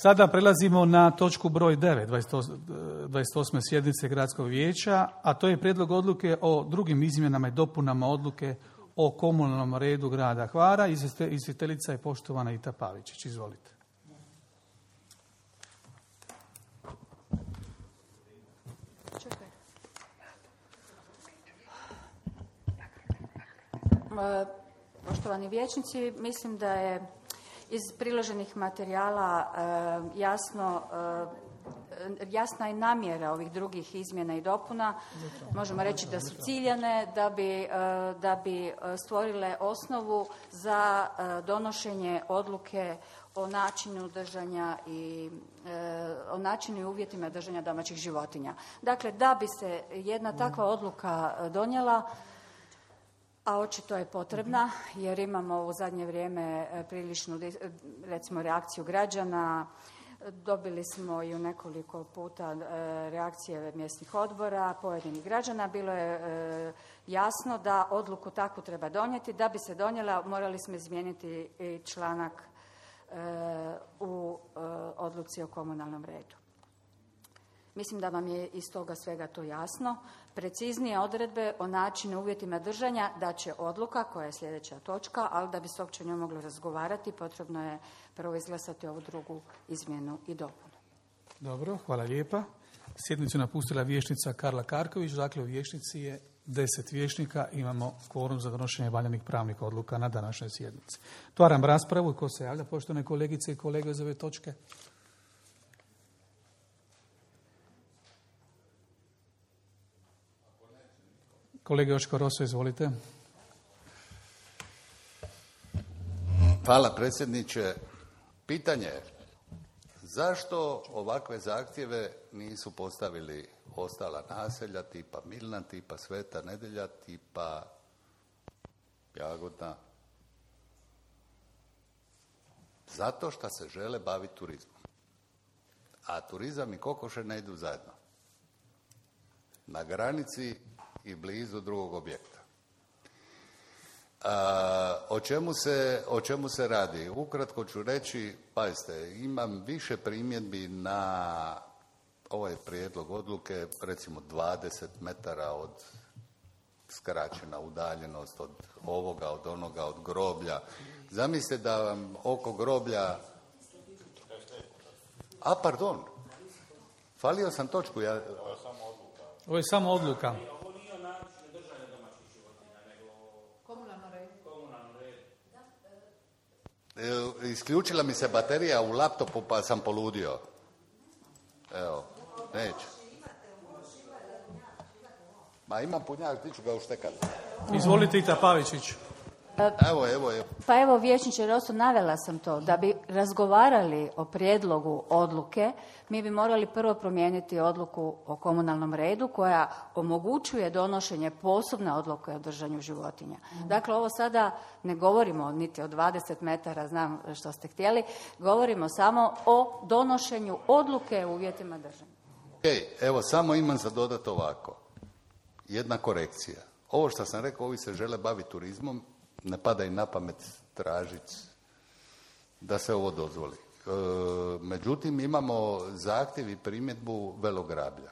Sada prelazimo na točku broj 9, 28. sjednice Gradskog vijeća, a to je prijedlog odluke o drugim izmjenama i dopunama odluke o komunalnom redu grada Hvara. Izvjestiteljica je poštovana Ita Pavičić. Izvolite. Poštovani vijećnici, mislim da je iz priloženih materijala jasna i namjera ovih drugih izmjena i dopuna. Možemo reći da su ciljane, da bi stvorile osnovu za donošenje odluke o načinu držanja i o načinu i uvjetima držanja domaćih životinja. Dakle, da bi se jedna takva odluka donijela, a očito je potrebna, jer imamo u zadnje vrijeme priličnu, recimo, reakciju građana. Dobili smo i u nekoliko puta reakcije mjesnih odbora, pojedinih građana. Bilo je jasno da odluku takvu treba donijeti. Da bi se donijela, morali smo izmijeniti i članak u odluci o komunalnom redu. Mislim da vam je iz toga svega to jasno. Preciznije odredbe o načinu i uvjetima držanja da će odluka, koja je sljedeća točka, ali da bi se uopće o njoj moglo razgovarati, potrebno je prvo izglasati ovu drugu izmjenu i dopunu. Dobro, hvala lijepa. Sjednicu napustila vijećnica Karla Karković, dakle u vijećnici je 10 vijećnika, imamo kvorum za donošenje valjanih pravnih odluka na današnjoj sjednici. Otvaram raspravu. Ko se javlja, poštovane kolegice i kolege, za ove točke? Kolega Joško Roso, izvolite. Hvala predsjedniče. Pitanje je, zašto ovakve zahtjeve nisu postavili ostala naselja tipa Milna, tipa Sveta Nedelja, tipa Jagodna? Zato što se žele baviti turizmom. A turizam i kokoše ne idu zajedno. Na granici i blizu drugog objekta. O čemu se radi? Ukratko ću reći, pazite, imam više primjedbi na ovaj prijedlog odluke, recimo 20 metara od skraćena udaljenost od ovoga, od onoga, od groblja. Zamislite da vam oko groblja... Pardon, falio sam točku. Ovo je samo odluka. Isključila mi se baterija u laptopu pa sam poludio. Evo, neću. Ma imam punjak, ti ću ga uštekati. Izvolite, Ita Pavičić. Evo. Pa evo, vijećniče Roso, navela sam to. Da bi razgovarali o prijedlogu odluke, mi bi morali prvo promijeniti odluku o komunalnom redu koja omogućuje donošenje posebne odluke o držanju životinja. Dakle, ovo sada ne govorimo niti o 20 metara, znam što ste htjeli, govorimo samo o donošenju odluke u uvjetima držanja. Evo, samo imam za dodati ovako. Jedna korekcija. Ovo što sam rekao, ovi se žele baviti turizmom, ne pada im na pamet tražiti da se ovo dozvoli. Međutim, imamo zahtjev i primjedbu Velograblja.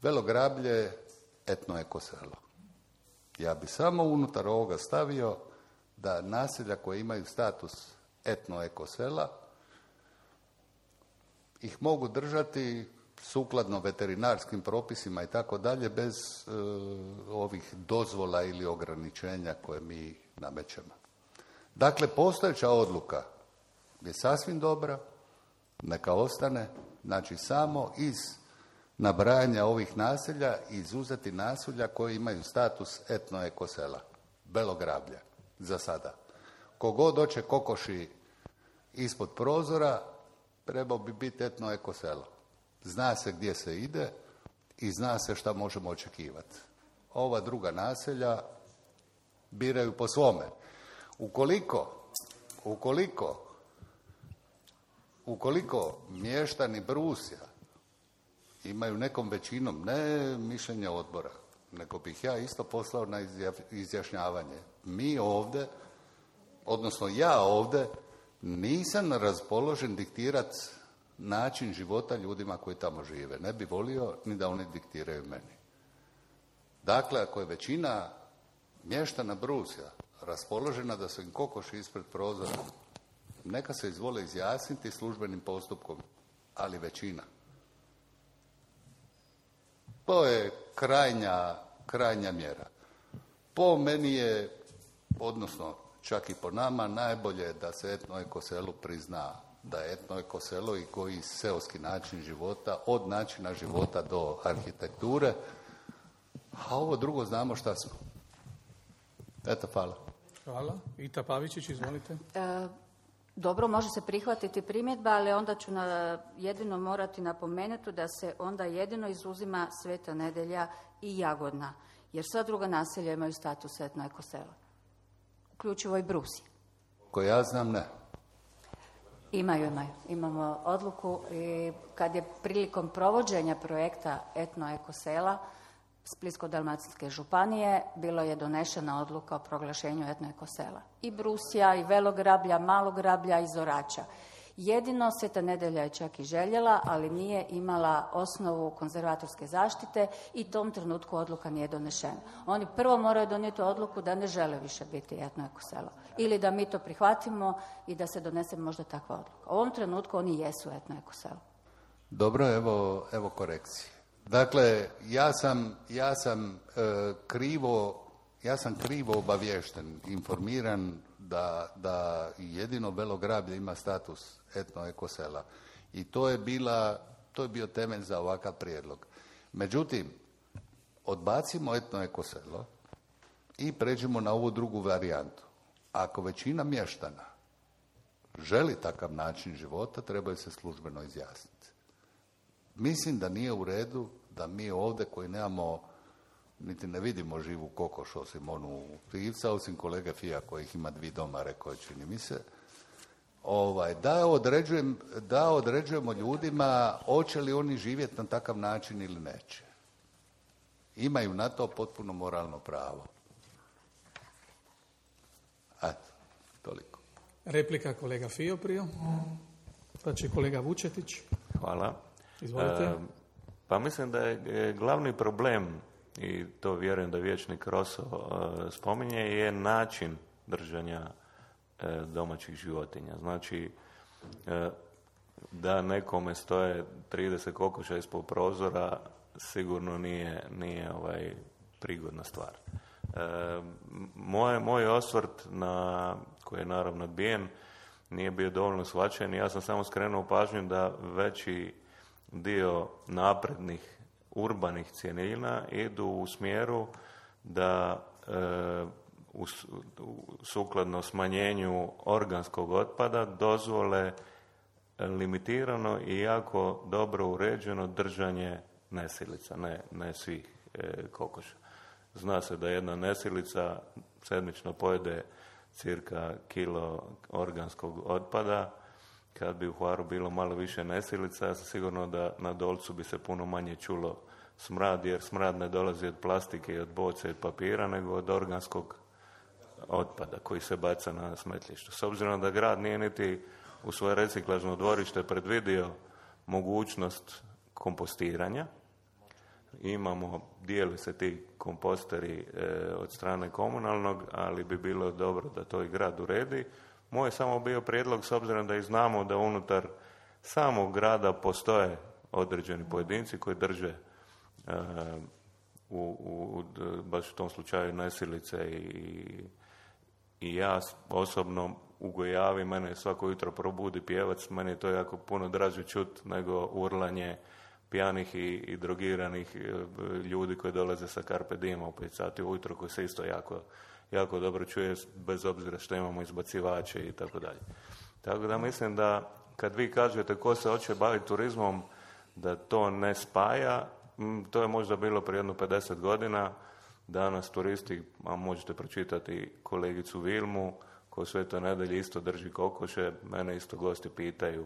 Velograblje, etno ekoselo. Ja bi samo unutar ovoga stavio da naselja koje imaju status etno ekosela ih mogu držati sukladno veterinarskim propisima i tako dalje, bez ovih dozvola ili ograničenja koje mi namećemo. Dakle, postojeća odluka je sasvim dobra, neka ostane, znači samo iz nabrajanja ovih naselja izuzeti naselja koji imaju status etno ekosela, Belograblja, za sada. Kogod hoće kokoši ispod prozora, trebao bi biti etno ekoselo. Zna se gdje se ide i zna se šta možemo očekivati. Ova druga naselja biraju po svome. Ukoliko mještani Brusja imaju nekom većinom, ne mišljenje odbora, nego bih ja isto poslao na izjašnjavanje. Mi ovdje, odnosno ja ovdje, nisam raspoložen diktirati način života ljudima koji tamo žive. Ne bi volio ni da oni diktiraju meni. Dakle, ako je većina mještana Brusja raspoložena da su im kokoši ispred prozora, neka se izvole izjasniti službenim postupkom, ali većina. To je krajnja mjera. Po meni je, odnosno čak i po nama, najbolje da se etno-ekoselu prizna da je etno-ekoselo i koji seoski način života, od načina života do arhitekture, a ovo drugo znamo šta smo. Eto, hvala. Hvala. Ita Pavičić, izvolite. Dobro, može se prihvatiti primjedba, ali onda ću jedino morati napomenuti da se onda jedino izuzima Sveta Nedelja i Jagodna, jer sva druga naselja imaju status etno-ekosela, uključivo i Brusje. Ko ja znam, ne. Imaju. Imamo odluku i kad je prilikom provođenja projekta etno-ekosela Splitsko-dalmatinske županije bilo je donešena odluka o proglašenju etno-ekosela. I Brusja, i Velograblja, Malograblja i Zorača. Jedino Sveta Nedelja je čak i željela, ali nije imala osnovu konzervatorske zaštite i tom trenutku odluka nije donešena. Oni prvo moraju donijeti odluku da ne žele više biti etno-ekoselo. Ili da mi to prihvatimo i da se donese možda takva odluka. U ovom trenutku oni jesu etno-ekoselo. Dobro, evo korekcije. Dakle, ja sam krivo obaviješten, informiran da jedino Belograblje ima status etno-ekosela. I to je bio temelj za ovakav prijedlog. Međutim, odbacimo etno-ekoselo i pređemo na ovu drugu varijantu. Ako većina mještana želi takav način života, trebaju se službeno izjasniti. Mislim da nije u redu da mi ovdje koji nemamo, niti ne vidimo živu kokoš osim onu pivca, osim kolege Fija kojih ima 2 doma, rekao je, čini mi se, da određujemo ljudima hoće li oni živjeti na takav način ili neće. Imaju na to potpuno moralno pravo. Eto, toliko. Replika kolega Fio prije, pa će kolega Vučetić. Hvala. Izvolite. Pa mislim da je glavni problem, i to vjerujem da vijećnik Roso spominje, je način držanja domaćih životinja. Znači, da nekome stoje 30 kokoša ispod prozora sigurno nije prigodna stvar. Moj osvrt, koji je naravno odbijen, nije bio dovoljno shvaćen. Ja sam samo skrenuo pažnju da veći dio naprednih urbanih cjelina idu u smjeru da sukladno smanjenju organskog otpada dozvole limitirano i jako dobro uređeno držanje nesilica, ne svih kokoša. Zna se da jedna nesilica sedmično pojede cirka kilo organskog otpada. Kad bi u Hvaru bilo malo više nesilica, ja sam sigurno da na Dolcu bi se puno manje čulo smrad, jer smrad ne dolazi od plastike i od boce i od papira, nego od organskog otpada koji se baca na smetlištu. S obzirom da grad nije niti u svoje reciklažno dvorište predvidio mogućnost kompostiranja, dijeli se ti komposteri od strane komunalnog, ali bi bilo dobro da to i grad uredi. Moj je samo bio prijedlog, s obzirom da i znamo da unutar samog grada postoje određeni pojedinci koji drže baš u tom slučaju nesilice i ja osobno u Gojavi, mene svako jutro probudi pjevac, meni je to jako puno draže čut nego urlanje pijanih i drogiranih ljudi koji dolaze sa Carpe Diema u 5 sati ujutro, koji se isto jako dobro čuje, bez obzira što imamo izbacivače i tako dalje. Tako da mislim da kad vi kažete ko se hoće baviti turizmom, da to ne spaja, to je možda bilo prije jedno 50 godina. Danas turisti, a možete pročitati kolegicu Vilmu, koja Svetoj Nedelji isto drži kokoše, mene isto gosti pitaju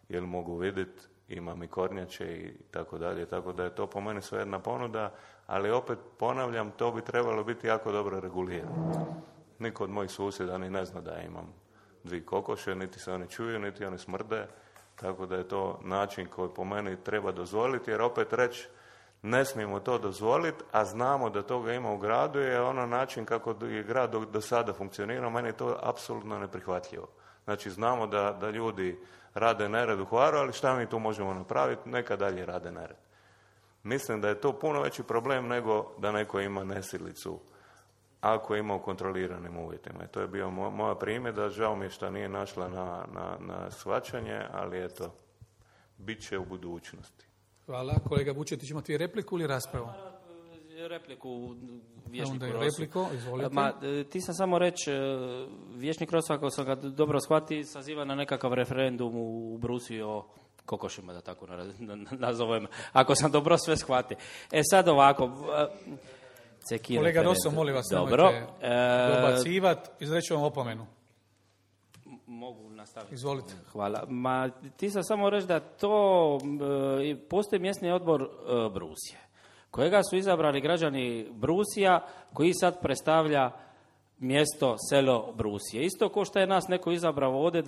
jel mogu vidjeti, imam i kornjače i tako dalje, tako da je to po meni sve jedna ponuda, ali opet ponavljam, to bi trebalo biti jako dobro regulirano. Niko od mojih susjeda ni ne zna da ja imam 2 kokoše, niti se oni čuju, niti oni smrde, Tako da je to način koji po meni treba dozvoliti, jer opet reći ne smijemo to dozvoliti, a znamo da toga ima u gradu, je ono način kako je grad do sada funkcionirao, meni je to apsolutno neprihvatljivo. Znači znamo da ljudi rade nered u Hvaru, ali šta mi tu možemo napraviti? Neka dalje rade nered. Mislim da je to puno veći problem nego da neko ima nesilicu ako ima u kontroliranim uvjetima. I to je bio moja primjedba, žao mi je što nije našla na shvaćanje, ali eto, bit će u budućnosti. Hvala. Kolega Vučetić, imate vi repliku ili raspravu? Repliku Vječniku Rosu. Repliku, izvolite. ti sam samo reći, Vječnik Rosu, ako sam ga dobro shvati, saziva na nekakav referendum u Brusi o kokošima, da tako nazovem, ako sam dobro sve shvati. Sad ovako... Kolega Rosso, molim vas, nemojte dobacivati, izreću vam opomenu. Mogu nastaviti. Izvolite. Hvala. Ti sam samo reći da to postoji mjesni odbor Brusije, kojega su izabrali građani Brusija, koji sad predstavlja mjesto, selo Brusije. Isto kao što je nas neko izabrao ovdje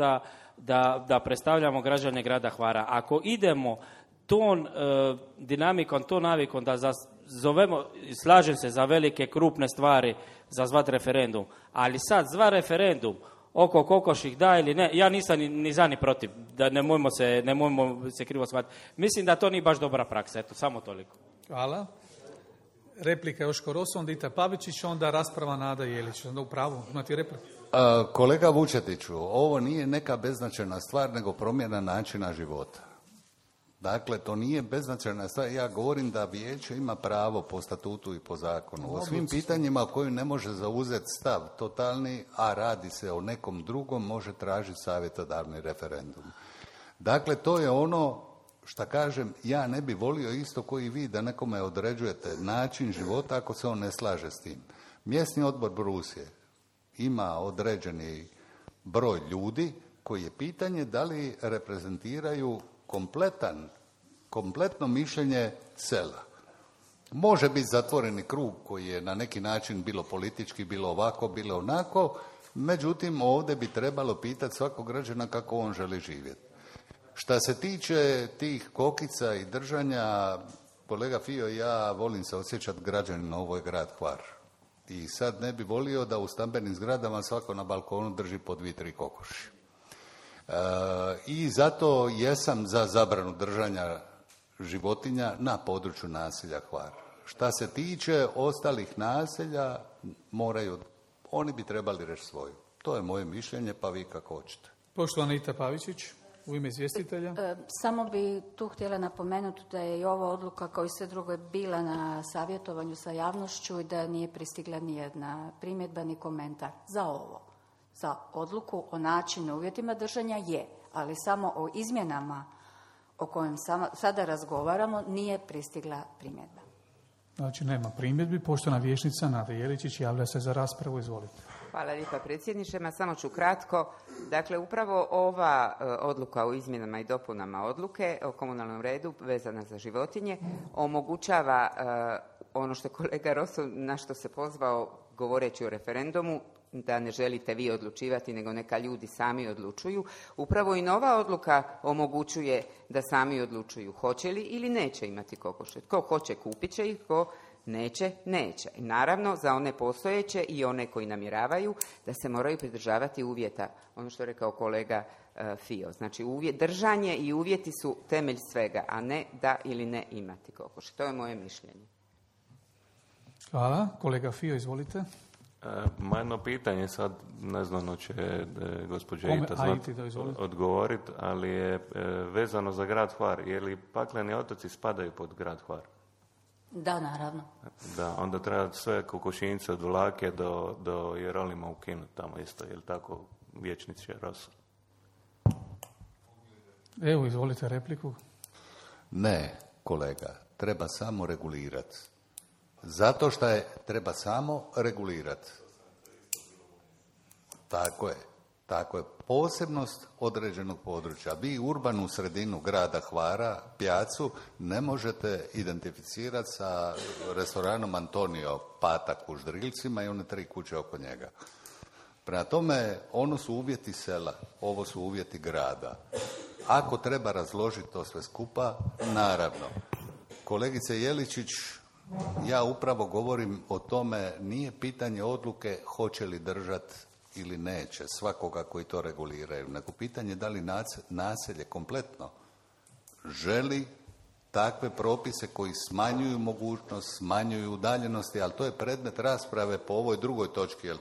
da predstavljamo građane grada Hvara. Ako idemo ton dinamikom, ton navikom da zovemo, slažem se za velike krupne stvari za zvat referendum, ali sad zva referendum oko kokoših da ili ne, ja nisam ni za ni protiv, da nemojmo se krivo shvatiti. Mislim da to nije baš dobra praksa, eto, samo toliko. Hvala. Replika Joško Rosso, onda Ita Pavičić, onda rasprava Nada Jelić. Onda u pravu, imate repliku? Kolega Vučetiću, ovo nije neka beznačajna stvar, nego promjena načina života. Dakle, to nije beznačajna stvar. Ja govorim da vijeće ima pravo po statutu i po zakonu. O svim pitanjima koju ne može zauzeti stav totalni, a radi se o nekom drugom, može tražiti savjetodavni referendum. Dakle, to je ono što kažem, ja ne bi volio isto koji vi da nekome određujete način života ako se on ne slaže s tim. Mjesni odbor Brusije ima određeni broj ljudi koji je pitanje da li reprezentiraju kompletno mišljenje sela. Može biti zatvoreni krug koji je na neki način bilo politički, bilo ovako, bilo onako, međutim ovdje bi trebalo pitati svakog građana kako on želi živjeti. Šta se tiče tih kokica i držanja, kolega Fio, ja volim se osjećati građanin, ovo je grad Hvar. I sad ne bi volio da u stambenim zgradama svako na balkonu drži po 2-3 kokoši. I zato jesam za zabranu držanja životinja na području naselja Hvar. Šta se tiče ostalih naselja, oni bi trebali reći svoju. To je moje mišljenje, pa vi kako hoćete. Poštovana Ita Pavičić, u ime izvjestitelja. Samo bi tu htjela napomenuti da je i ova odluka, kao i sve drugo, je bila na savjetovanju sa javnošću i da nije pristigla nijedna primjedba ni komentar za ovo. Za odluku o načinu uvjetima držanja je, ali samo o izmjenama o kojem sada razgovaramo nije pristigla primjedba. Znači nema primjedbi. Poštovana vijećnica Nada Jeličić javlja se za raspravu. Izvolite. Hvala lijepa predsjedniče. Samo ću kratko. Dakle, upravo ova odluka o izmjenama i dopunama odluke o komunalnom redu vezana za životinje omogućava ono što je kolega Rosso na što se pozvao govoreći o referendumu, da ne želite vi odlučivati, nego neka ljudi sami odlučuju. Upravo i nova odluka omogućuje da sami odlučuju hoće li ili neće imati kokoše. Tko hoće kupit će ih, tko neće, neće. I naravno za one postojeće i one koji namjeravaju da se moraju pridržavati uvjeta. Ono što je rekao kolega Fio. Znači držanje i uvjeti su temelj svega, a ne da ili ne imati kokoše. To je moje mišljenje. Hvala. Kolega Fio, izvolite. Jedno pitanje, sad ne znam će gospođa Ita odgovoriti, ali je vezano za grad Hvar. Je li pakleni otoci spadaju pod grad Hvar? Da, naravno. Da, onda treba sve kokošince od Vlake do Jerolima ukinuti tamo isto, je li tako, vijećniče Rosso? Evo, izvolite repliku. Ne, kolega, treba samo regulirati. Zato što treba samo regulirati. Tako je. Posebnost određenog područja. Vi urbanu sredinu grada Hvara, Pjacu, ne možete identificirati sa restoranom Antonio Patak u Ždrilcima i one 3 kuće oko njega. Prema tome, ono su uvjeti sela, ovo su uvjeti grada. ako treba razložiti to sve skupa, naravno. Kolegice Jeličić, ja upravo govorim o tome, nije pitanje odluke hoće li držati ili neće svakoga koji to reguliraju, nego pitanje da li naselje kompletno želi takve propise koji smanjuju mogućnost, smanjuju udaljenosti, ali to je predmet rasprave po ovoj drugoj točki, jel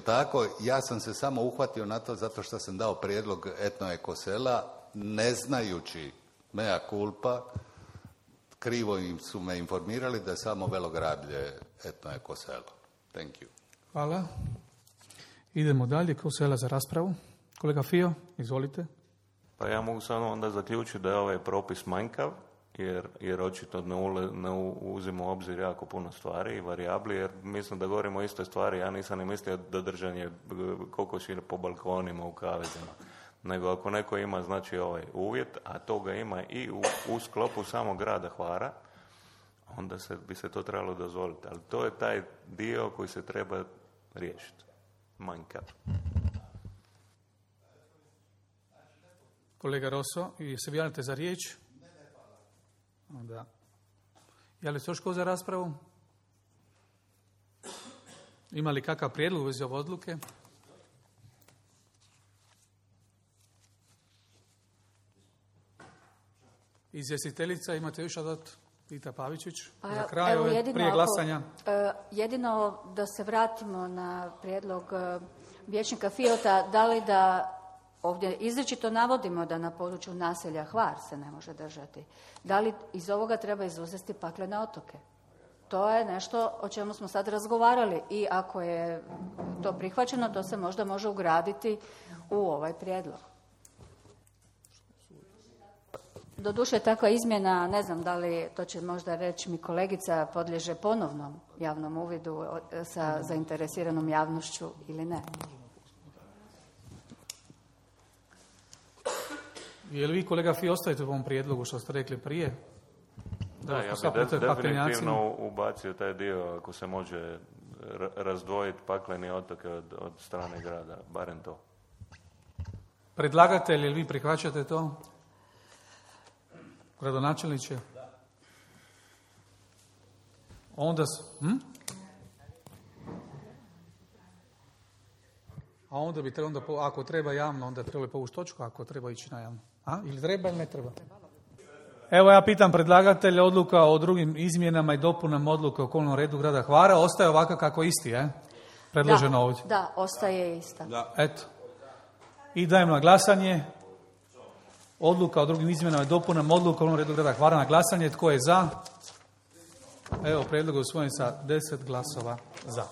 tako? Ja sam se samo uhvatio na to zato što sam dao prijedlog etno-ekosela, ne znajući, mea culpa, krivo su me informirali da je samo Velograblje etno-ekoselo. Thank you. Hvala. Idemo dalje, Kosela za raspravu. Kolega Fio, izvolite. Pa ja mogu samo onda zaključiti da je ovaj propis manjkav, jer očito ne uzima u obzir jako puno stvari i varijabli, jer mislim da govorimo o istoj stvari. Ja nisam ni mislio da držanje kokoši po balkonima u kavezima. Nego ako neko ima znači ovaj uvjet, a to ga ima i u sklopu samog grada Hvara, onda bi se to trebalo dozvoliti. Ali to je taj dio koji se treba riješiti. Manjkav. Kolega Rosso, i se javljate za riječ? Onda. Je li se još ko za raspravu? Ima li kakav prijedlog u vezi ove odluke? Izvjestiteljica, imate još dodat? Vita Pavičić, na kraju, prije glasanja. Jedino da se vratimo na prijedlog vijećnika Fiota, da li da ovdje izričito navodimo da na području naselja Hvar se ne može držati. Da li iz ovoga treba izuzeti paklene otoke? To je nešto o čemu smo sad razgovarali i ako je to prihvaćeno, to se možda može ugraditi u ovaj prijedlog. Doduše, takva izmjena, ne znam da li, to će možda reći mi kolegica, podliježe ponovnom javnom uvidu sa zainteresiranom javnošću ili ne. Je li vi, kolega Fi, ostajete u ovom prijedlogu što ste rekli prije? Da, ja bih definitivno ubacio taj dio ako se može razdvojiti pakleni otoke od strane grada, barem to. Predlagatelj, ili vi prihvaćate to? Gradonačelniče? Onda... A onda bi trebalo, ako treba javno, onda trebalo povući točku, ako treba ići na javno. Ili treba ili ne treba? Evo ja pitam predlagatelja, odluka o drugim izmjenama i dopunama odluke o okolnom redu grada Hvara ostaje ovako kako isti, predloženo ovdje. Da, ostaje ista. Da. Eto. I dajem na glasanje odluka o drugim izmjenama i dopunama odluke o okolnom redu grada Hvara na glasanje. Tko je za? Evo, prijedlog je usvojen sa 10 glasova za.